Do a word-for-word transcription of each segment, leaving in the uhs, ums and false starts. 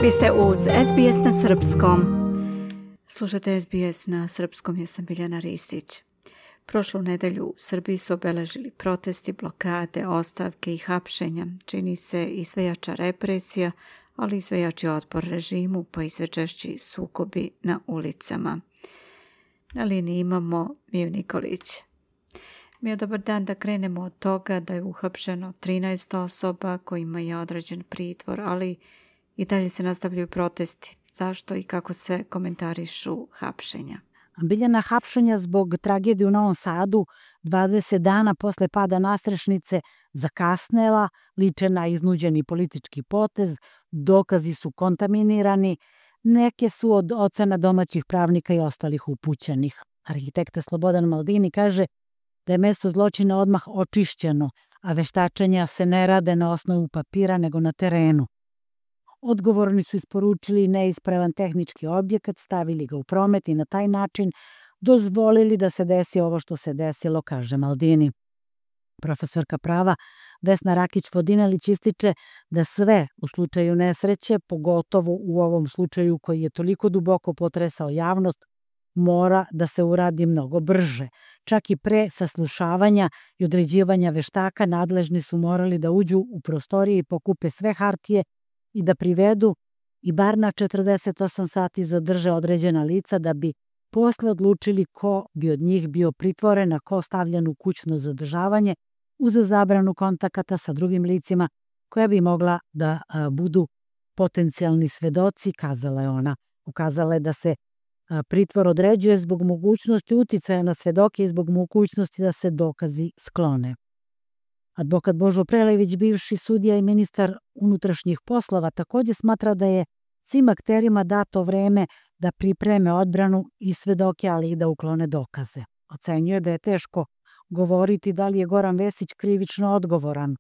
Vi ste uz S B S na srpskom. Slušate S B S na srpskom, ja sam Biljana Ristić. Prošlu nedelju u Srbiji su obeležili protesti, blokade, ostavke i hapšenja. Čini se i sve jača represija, ali i sve jači otpor režimu, pa i sve češći sukobi na ulicama. Na liniji imamo Miju Nikolić. Miju, dobar dan, da krenemo od toga da je uhapšeno trinaest osoba kojima je određen pritvor, ali i dalje se nastavljaju protesti. Zašto i kako se komentarišu hapšenja? Biljana, hapšenja zbog tragedije u Novom Sadu dvadeset dana posle pada nastrešnice zakasnela, liče na iznuđeni politički potez, dokazi su kontaminirani, neke su od ocena domaćih pravnika i ostalih upućenih. Arhitekta Slobodan Maldini kaže da je mesto zločina odmah očišćeno, a veštačenja se ne rade na osnovu papira nego na terenu. Odgovorni su isporučili neispravan tehnički objekat, stavili ga u promet i na taj način dozvolili da se desi ovo što se desilo, kaže Maldini. Profesorka prava Vesna Rakić-Vodinelić ističe da sve u slučaju nesreće, pogotovo u ovom slučaju koji je toliko duboko potresao javnost, mora da se uradi mnogo brže. Čak i pre saslušavanja i određivanja veštaka nadležni su morali da uđu u prostorije i pokupe sve hartije i da privedu i bar na četrdeset osam sati zadrže određena lica da bi posle odlučili ko bi od njih bio pritvoren, a ko stavljen u kućno zadržavanje uz zabranu kontakata sa drugim licima koja bi mogla da a, budu potencijalni svedoci, kazala je ona. Ukazala je da se a, pritvor određuje zbog mogućnosti uticaja na svedoke i zbog mogućnosti da se dokazi sklone. Advokat Božo Prelević, bivši sudija i ministar unutrašnjih poslova, također smatra da je svim akterima dato vreme da pripreme odbranu i svedoke, ali i da uklone dokaze. Ocenjuje da je teško govoriti da li je Goran Vesić krivično odgovoran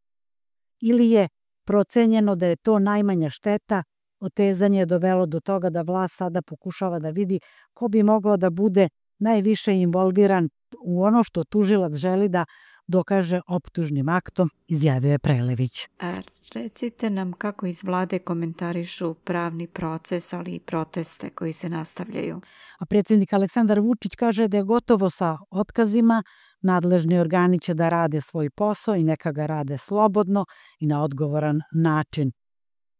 ili je procenjeno da je to najmanja šteta. Otezanje je dovelo do toga da vlast sada pokušava da vidi ko bi mogao da bude najviše involviran u ono što tužilac želi da dokaže optužnim aktom, izjavio je Prelević. A recite nam kako iz vlade komentarišu pravni proces, ali i proteste koji se nastavljaju. A predsjednik Aleksandar Vučić kaže da je gotovo sa otkazima, nadležni organi će da rade svoj posao i neka ga rade slobodno i na odgovoran način.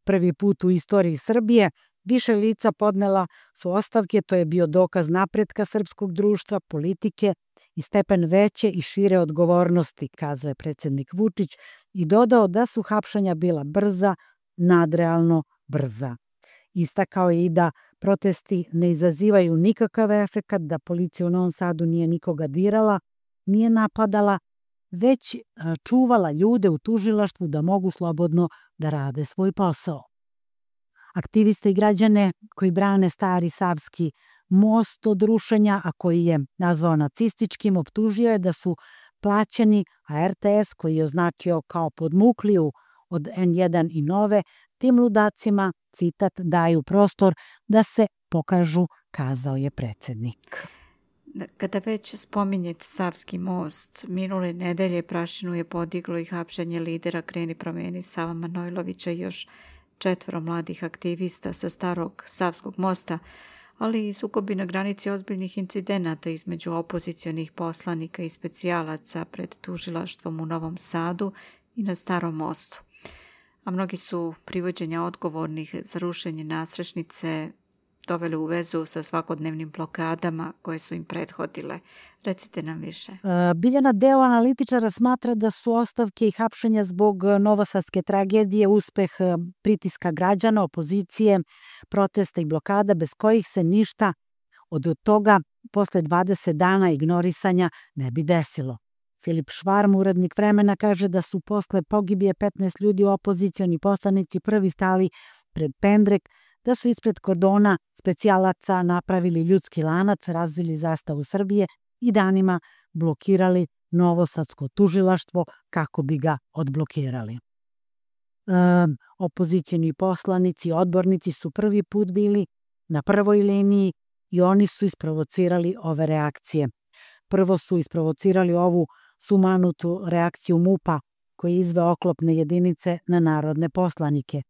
Prvi put u istoriji Srbije više lica podnela su ostavke, to je bio dokaz napretka srpskog društva, politike i stepen veće i šire odgovornosti, kazao je predsjednik Vučić i dodao da su hapšenja bila brza, nadrealno brza. Istakao je i da protesti ne izazivaju nikakav efekat, da policija u Novom Sadu nije nikoga dirala, nije napadala, već čuvala ljude u tužilaštvu da mogu slobodno da rade svoj posao. Aktiviste i građane koji brane stari Savski most od rušenja, a koji je nazvao nacističkim, optužio je da su plaćeni, a R T S, koji je označio kao podmukliju od N jedan i Nove, tim ludacima, citat, daju prostor da se pokažu, kazao je predsjednik. Kada već spominjete Savski most, minule nedelje prašinu je podiglo i hapšenje lidera Kreni promeni Sava Manojlovića i još četvoro mladih aktivista sa starog Savskog mosta, ali i sukobi na granici ozbiljnih incidenata između opozicionih poslanika i specijalaca pred tužilaštvom u Novom Sadu i na Starom mostu. A mnogi su privođenja odgovornih za rušenje nastrešnice doveli u vezu sa svakodnevnim blokadama koje su im prethodile. Recite nam više. Biljana, deo analitičara smatra da su ostavke i hapšenja zbog novosadske tragedije uspeh pritiska građana, opozicije, protesta i blokada bez kojih se ništa od toga posle dvadeset dana ignorisanja ne bi desilo. Filip Švarm, urednik Vremena, kaže da su posle pogibije petnaest ljudi opozicioni poslanici prvi stali pred pendrek, da su ispred kordona specijalaca napravili ljudski lanac, razvili zastavu Srbije i danima blokirali novosadsko tužilaštvo kako bi ga odblokirali. E, opozicijni poslanici, odbornici su prvi put bili na prvoj liniji i oni su isprovocirali ove reakcije. Prvo su isprovocirali ovu sumanutu reakciju MUP-a koji izve oklopne jedinice na narodne poslanike.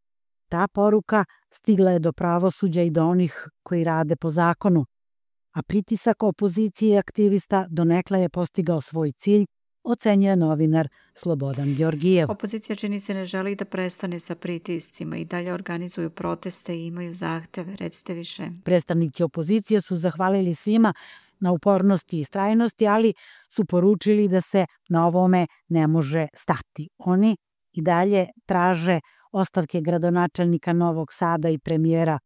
Ta poruka stigla je do pravosuđa i do onih koji rade po zakonu, a pritisak opozicije i aktivista donekle je postigao svoj cilj, ocenjuje novinar Slobodan Georgijev. Opozicija čini se ne želi da prestane sa pritiscima i dalje organizuju proteste i imaju zahteve. Recite više. Predstavnici opozicije su zahvalili svima na upornosti i istrajnosti, ali su poručili da se na ovome ne može stati. Oni i dalje traže ostavke gradonačelnika Novog Sada i premijera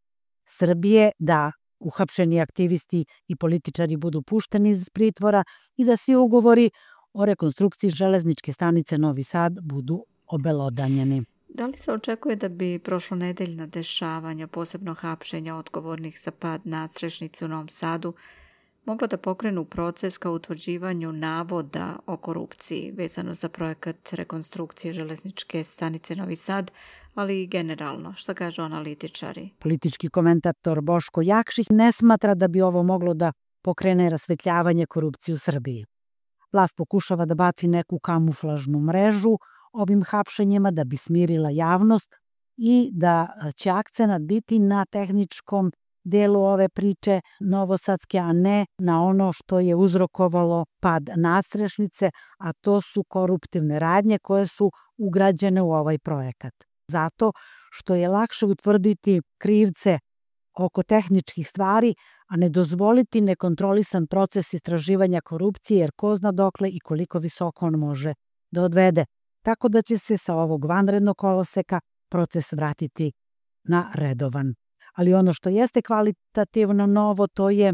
Srbije, da uhapšeni aktivisti i političari budu pušteni iz pritvora i da svi ugovori o rekonstrukciji železničke stanice Novi Sad budu obelodanjeni. Da li se očekuje da bi prošlonedeljna dešavanja, posebno hapšenja odgovornih za pad nadstrešnice u Novom Sadu, mogla da pokrenu proces ka utvrđivanju navoda o korupciji vezano za projekat rekonstrukcije železničke stanice Novi Sad, ali i generalno? Što kažu analitičari? Politički komentator Boško Jakšić ne smatra da bi ovo moglo da pokrene rasvetljavanje korupcije u Srbiji. Vlast pokušava da baci neku kamuflažnu mrežu ovim hapšenjima da bi smirila javnost i da će akcenat biti na tehničkom delu ove priče novosadske, a ne na ono što je uzrokovalo pad nadstrešnice, a to su koruptivne radnje koje su ugrađene u ovaj projekat. Zato što je lakše utvrditi krivce oko tehničkih stvari, a ne dozvoliti nekontrolisan proces istraživanja korupcije, jer ko zna dokle i koliko visoko on može da odvede. Tako da će se sa ovog vanrednog koloseka proces vratiti na redovan. Ali ono što jeste kvalitativno novo, to je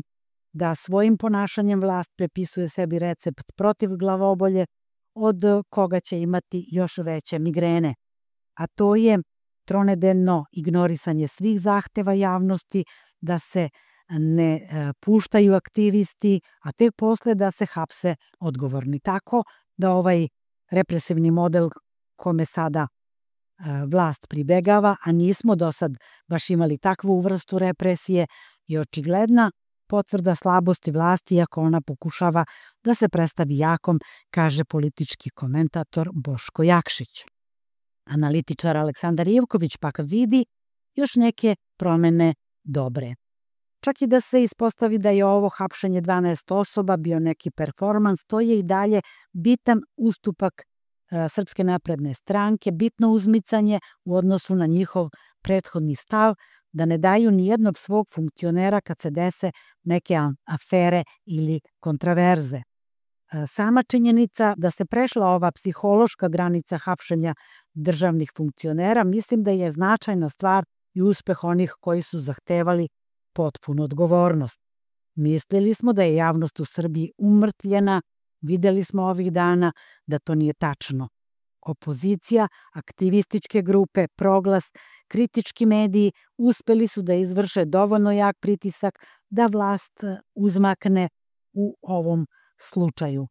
da svojim ponašanjem vlast prepisuje sebi recept protiv glavobolje, od koga će imati još veće migrene. A to je tronedeljno ignorisanje svih zahteva javnosti, da se ne puštaju aktivisti, a tek posle da se hapse odgovorni. Tako da ovaj represivni model kome sada vlast pribegava, a nismo do sad baš imali takvu vrstu represije, je očigledna potvrda slabosti vlasti, iako ona pokušava da se predstavi jakom, kaže politički komentator Boško Jakšić. Analitičar Aleksandar Ivković pak vidi još neke promene dobre. Čak i da se ispostavi da je ovo hapšenje dvanaest osoba bio neki performans, to je i dalje bitan ustupak Srpske napredne stranke, bitno uzmicanje u odnosu na njihov prethodni stav da ne daju ni jednog svog funkcionera kad se dese neke afere ili kontraverze. Sama činjenica da se prešla ova psihološka granica hapšenja državnih funkcionera, mislim da je značajna stvar i uspeh onih koji su zahtevali potpunu odgovornost. Mislili smo da je javnost u Srbiji umrtljena, videli smo ovih dana da to nije tačno. Opozicija, aktivističke grupe, Proglas, kritički mediji uspeli su da izvrše dovoljno jak pritisak da vlast uzmakne u ovom slučaju.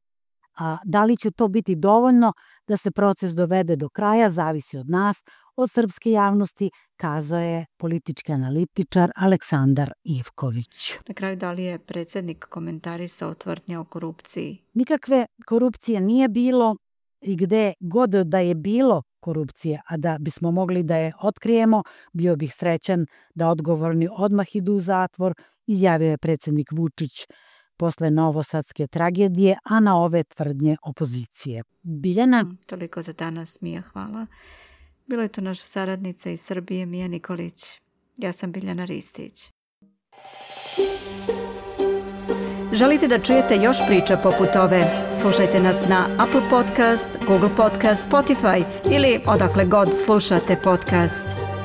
A da li će to biti dovoljno da se proces dovede do kraja, zavisi od nas, od srpske javnosti, kazao je politički analitičar Aleksandar Ivković. Na kraju, da li je predsjednik komentarisao tvrdnje o korupciji? Nikakve korupcije nije bilo i gde god da je bilo korupcije, a da bismo mogli da je otkrijemo, bio bih srećan da odgovorni odmah idu u zatvor, izjavio je predsjednik Vučić posle novosadske tragedije, a na ove tvrdnje opozicije. Biljana? Toliko za danas, Mija, hvala. Bila je to naša saradnica iz Srbije, Mija Nikolić. Ja sam Biljana Ristić. Želite da čujete još priča poput ove? Slušajte nas na Apple Podcast, Google Podcast, Spotify ili odakle god slušate podcast.